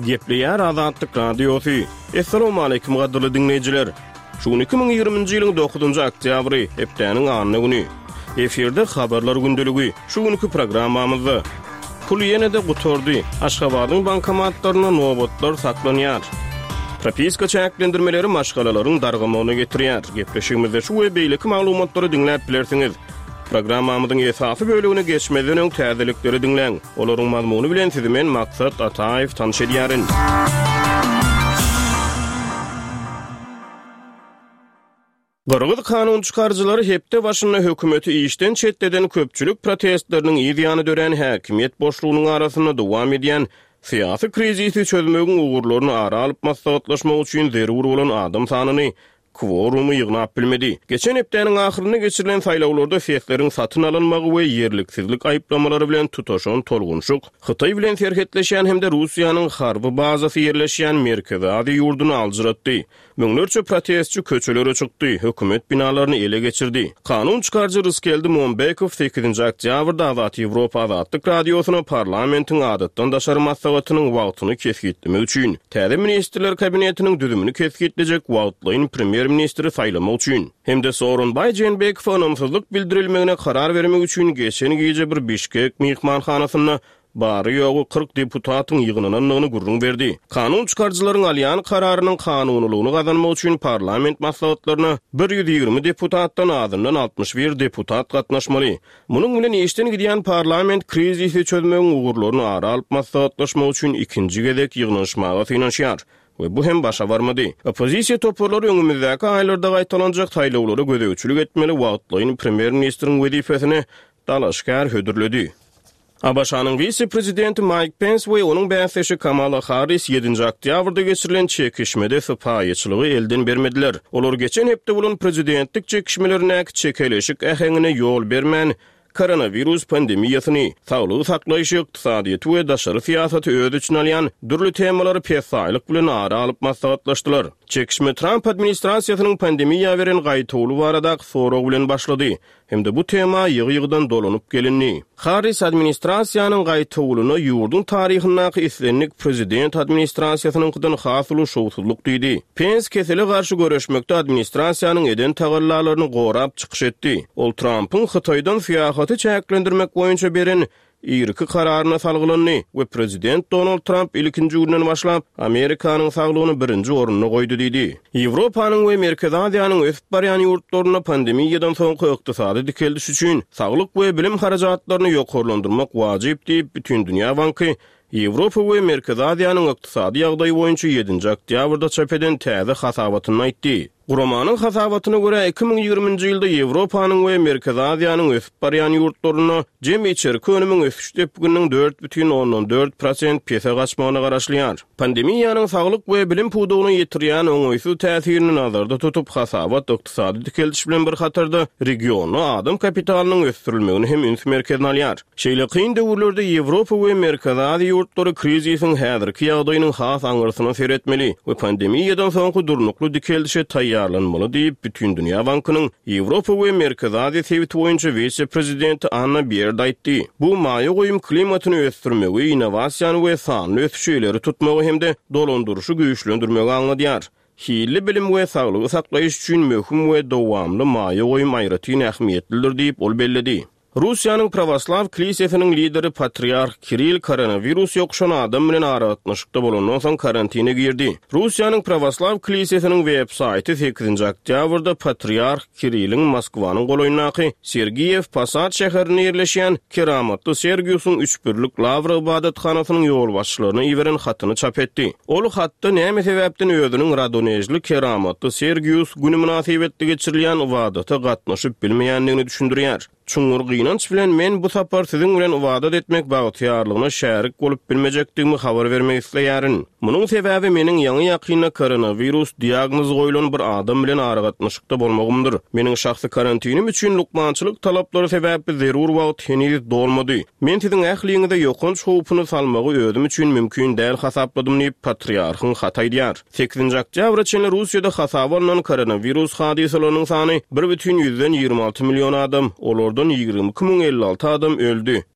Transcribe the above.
Gepleýär Azatlyk Radiosy. Assalamualaikum gadyrly diňleýjiler. Şu gün 2020-nji ýylyň 9-njy oktýabry, hepdäniň anna güni. Efirde habarlar gündeligi. Şu günki programmamyzda Pul ýene-de gutardy. Aşgabadyň bankomatlarynda nobatlar saklanýar. Propiska çäklendirmeleri maşgalalaryň dargamagyna getirýär. Gepleşigimizde şu we beýleki maglumatlary diňläp bilersiňiz. Programmamyzyň esasy bölegine geçmezden öň täzelikleri diňläň. Olaryň mazmuny bilen sizi men Maksat Ataýew tanyş edýärin. Gyrgyz kanun çykaryjylary hepde başynda hökümeti işden çetleden köpçülik protestleriniň yz ýany dörän häkimiýet boşlugynyň arasynda dowam edýän syýasy krizisi çözmegiň ugurlaryny ara alyp maslahatlaşmak üçin zerur bolan adam sanyny kworumy ýygnap bilmedi. Geçen hepdäniň ahyrynda geçirilen saýlawlarda sesleriň satyn alynmagy we ýerliksizlik aýyplamalary bilen tutaşan tolgunşyk Hytaý bilen serhetleşýän hem-de Russiýanyň harby bazasy ýerleşýän Merkezi Aziýa ýurduny aljyratdy. Müňlerçe protestçi köçelere çykdy, hökümet binalaryny ele geçirdi. Kanun çykaryjy Rysgeldi Mombekow sekizinji oktýabrda Azat Ýewropa Azatlyk Radiosyna parlamentiň adatdan daşary maslahatynyň wagtyny kesgitlemek üçin, täze Ministrler Kabinetiniň düzümini kesgitlejek wagtlaýyn premýer-ministri saýlamak üçin hem-de Sooronbaý Jeenbekowa ynamsyzlyk bildirilmegine karar bermek üçin geçen gije bir Bişkek myhmanhanasynda bary-ýogy 40 deputatyň ýygnanandygyny gürrüň berdi. Kanun çykaryjylaryň alýan kararynyň kanunylygyny gazanmak üçin parlament maslahatlaryna 120 deputatdan azyndan 61 deputat gatnaşmaly. Munuň bilen işden gidýän parlament krizisi çözmegiň ugurlaryny ara alyp maslahatlaşmak üçin ikinji gezek ýygnanyşmaga synanyşýar we bu hem başa barmady. Oppozisiýa toparlary öňümizdäki aýlarda gaýtalanjak saýlawlara gözegçilik etmeli wagtlaýyn premýer-ministriň wezipesine dalaşgär hödürledi. ABŞ-nyň wise-prezidenti Maýk Pens we onuň bäsdeşi Kamala Harris ýedinji oktýabrda geçirilen çekişmede sypaýyçylygy elden bermediler. Olar geçen hepde bolan prezidentlik çekişmelerindäki çekeleşik äheňine ýol bermän, koronawirus pandemiýasyny, saglygy saklaýşy, ykdysadyýeti we daşary syýasaty öz içine alýan dürli temalary pessaýlyk bilen ara alyp maslahatlaşdylar. Çekişme Tramp administrasiýasynyň pandemiýa beren gaýtawuly baradaky sorag bilen başlady. Hem-de bu tema ýygy-ýygydan dolanyp gelindi. Harris administrasiýanyň gaýtawulyna ýurduň taryhyndaky islendik prezident administrasiýasynyňkydan has uly şowsuzlyk diýdi. Pens kesele garşy göreşmekde administrasiýanyň eden tagallalaryny gorap çykyş etdi. Ol Trampyň Hytaýdan syýahaty çäklendirmek boýunça beren irki kararyna salgylandy we prezident Donald Tramp ilkinji günden başlap Amerikanyň saglygyny birinji orunda goýdy diýdi. Ýewropanyň we Merkezi Aziýanyň ösüp barýan ýurtlarynda pandemiýadan soňky ykdysady dikeldiş üçin saglyk we bilim harajatlaryny ýokarlandyrmak wajyp diýip, Bütindünýä banky Ýewropa we Merkezi Aziýanyň ykdysady ýagdaýy boýunça ýedinji oktýabrda çap eden täze hasabatynda aýtdy. Guramanyň hasabatyna görä, 2020-nji ýylda Ýewropanyň we Merkezi Aziýanyň ösüp barýan ýurtlarynda jemi içerki önümiň ösüş depgininiň 4,4 prosent pese gaçmagyna garaşylýar. Pandemiýanyň saglyk we bilim pudagyna ýetirýän oňaýsyz täsirini nazarda tutup, hasabat ykdysady dikeldiş bilen bir hatarda regionda adam kapitalynyň ösdürilmegini hem üns merkezine alýar. Şeýle kyn döwürlerde Ýewropa we Merkezi Aziýa ýurtlary krizisiň häzirki ýagdaýynyň has aňyrsyna seretmeli we pandemiýadan soňky durnukly dikeldişe taýýarlanmaly diýip, Bütindünýä bankynyň Ýewropa we Merkezi Aziýa sebiti boýunça wise-prezidenti Anna Bierd aýtdy. Bu maýa goýum klimatyny ösdürmegi, innowasiýany we sanly ösüşi ileri tutmagy hem-de dolandyryşy güýçlendirmegi aňladýar. Hilli bilim we saglygy saklaýyş üçin möhüm we dowamly maýa goýum aýratyn ähmiýetlidir diýip, ol belledi. Russiýanyň Prawoslaw klisesiniň lideri Patriarh Kirill koronawirus ýokuşan adam bilen aragatnaşykda bolandan soň karantine girdi. Russiýanyň Prawoslaw klisesiniň web saýty sekizinji oktýabrda Patriarh Kirilliň Moskwanyň golaýyndaky Sergiýew Posad şäherinde ýerleşýän Keramatly Sergiusyň Üçbirlik Lawra ybadathanasynyň ýolbaşçylaryna iberen hatyny çap etdi. Ol hatda näme sebäpden özüniň Radonežli Keramatly Sergius güni mynasybetli geçirilýän ybadata gatnaşyp bilmeýändigini düşündirýär. Çuňňur gynanç bilen men bu sapar siziň bilen ybadat etmek bagtyýarlygyna şärik bolup bilmejekdigimi habar bermek isleýärin. Munuň sebäbi meniň ýaňy-ýakynda koronawirus diagnozy goýlan bir adam bilen aragatnaşykda bolmagymdyr. Meniň şahsy karantinim üçin lukmançylyk talaplary sebäpli zerur wagt heniz dolmady. Men siziň ähliňize ýokanç howpuny salmagy özüm üçin mümkin däl hasapladym diýip, patriarhyň haty aýdýar. Sekizinji oktýabra çenli Russiýada hasaba alnan koronawirus hadysalarynyň sany bir bütin 26 million adam, olardan 22 056 adam öldi.